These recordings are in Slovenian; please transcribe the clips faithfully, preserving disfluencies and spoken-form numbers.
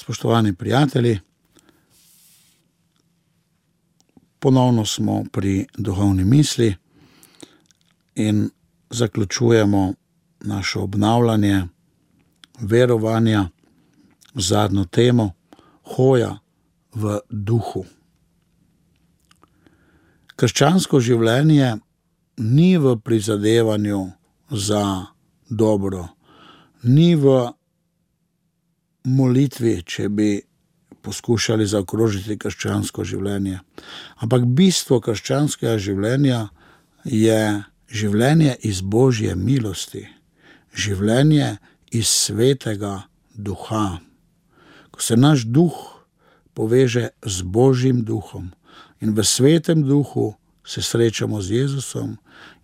Spoštovani prijatelji, ponovno smo pri duhovni misli in zaključujemo naše obnavljanje verovanja z zadnjo temo hoja v duhu. Krščansko življenje ni v prizadevanju za dobro, ni v molitvi, če bi poskušali zaokrožiti krščansko življenje. Ampak bistvo krščanskega življenja je življenje iz Božje milosti, življenje iz svetega duha. Ko se naš duh poveže z Božjim duhom in v svetem duhu se srečamo z Jezusom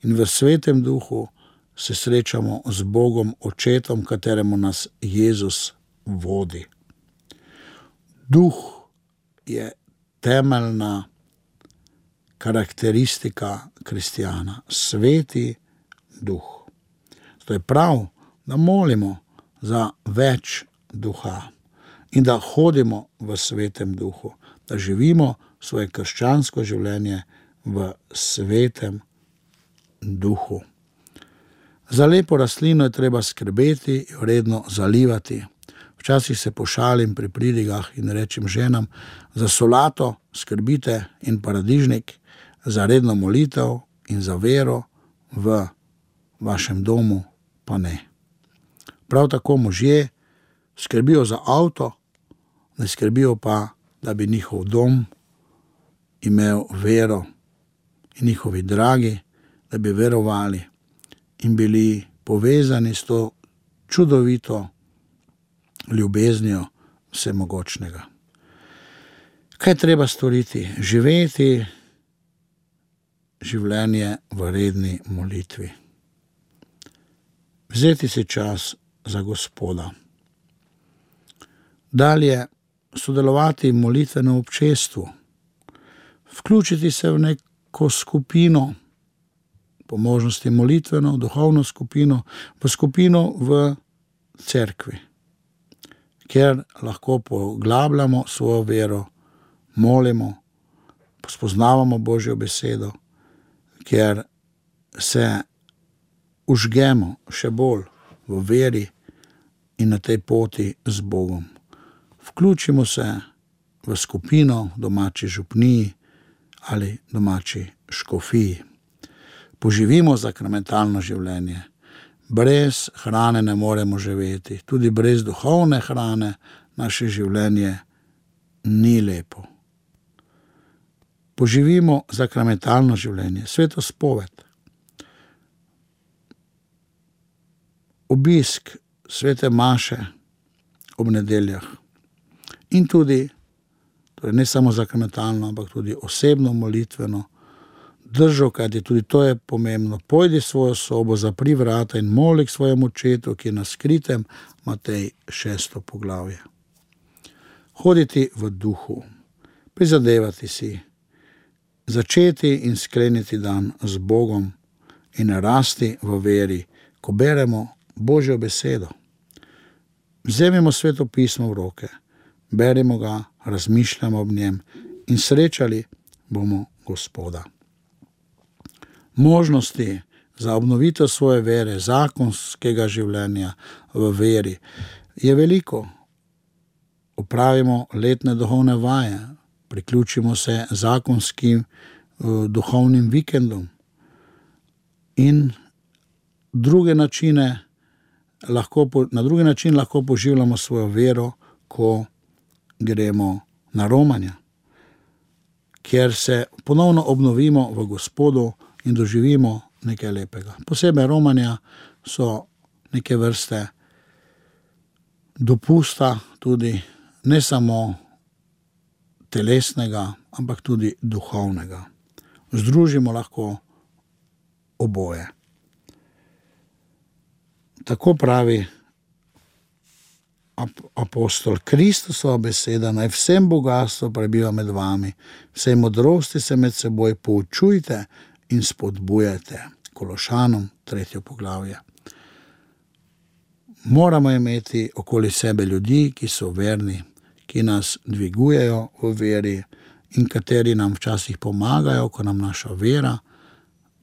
in v svetem duhu se srečamo z Bogom Očetom, kateremu nas Jezus vodi. Duh je temeljna karakteristika kristjana, sveti duh. Zato je prav, da molimo za več duha in da hodimo v svetem duhu, da živimo svoje krščansko življenje v svetem duhu. Za lepo rastlino je treba skrbeti, jo redno zalivati. Včasih se pošalim pri pridigah in rečem ženam, za solato skrbite in paradižnik, za redno molitev in za vero v vašem domu pa ne. Prav tako možje skrbijo za avto, ne skrbijo pa, da bi njihov dom imel vero in njihovi dragi, da bi verovali in bili povezani s to čudovito ljubeznijo vsemogočnega. Kaj treba storiti? Živeti življenje v redni molitvi. Vzeti si čas za Gospoda. Dalje sodelovati v molitvenem občestvu. Vključiti se v neko skupino, po možnosti molitveno, duhovno skupino, v skupino v cerkvi, kjer lahko poglabljamo svojo vero, molimo, spoznavamo Božjo besedo, kjer se užgemo še bolj v veri in na tej poti z Bogom. Vključimo se v skupino domači župniji ali domači škofiji. Poživimo sakramentalno življenje. Brez hrane ne moremo živeti. Tudi brez duhovne hrane naše življenje ni lepo. Poživimo sakramentalno življenje. Sveto spoved. Obisk svete maše ob nedeljah. In tudi, torej ne samo sakramentalno, ampak tudi osebno molitveno držo, kajti tudi to je pomembno. Pojdi svojo sobo, zapri vrata in moli k svojemu očetu, ki je na skritem, Matej šesto poglavje. Hoditi v duhu, prizadevati si, začeti in skleniti dan z Bogom in rasti v veri, ko beremo Božjo besedo. Vzemimo Sveto pismo v roke, berimo ga, razmišljamo ob njem in srečali bomo Gospoda. Možnosti za obnovitev svoje vere, zakonskega življenja v veri je veliko. Opravimo letne duhovne vaje, priključimo se zakonskim duhovnim vikendom in druge načine lahko, na drugi način lahko poživljamo svojo vero, ko gremo na romanja, kjer se ponovno obnovimo v Gospodu in doživimo nekaj lepega. Posebej romanja so neke vrste dopusta tudi ne samo telesnega, ampak tudi duhovnega. Združimo lahko oboje. Tako pravi apostol: Kristusova beseda naj vsem bogatstvo prebiva med vami, vsej modrosti se med seboj poučujte in spodbujajte. Kološanom, tretje poglavje. Moramo imeti okoli sebe ljudi, ki so verni, ki nas dvigujejo v veri in kateri nam včasih pomagajo, ko nam naša vera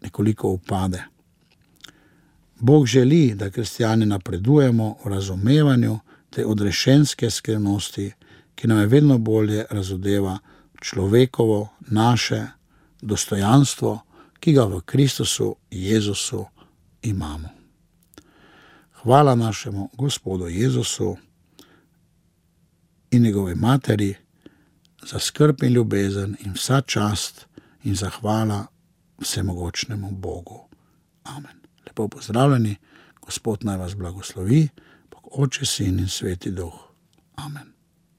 nekoliko upade. Bog želi, da kristjani napredujemo v razumevanju te odrešenske skrivnosti, ki nam je vedno bolje razodeva človekovo, naše dostojanstvo, ki ga v Kristusu Jezusu imamo. Hvala našemu Gospodu Jezusu in njegovi materi za skrb in ljubezen in vsa čast in zahvala vsemogočnemu Bogu. Amen. Lepo pozdravljeni, Gospod naj vas blagoslovi, Bog Oče, Sin in Sveti Duh. Amen.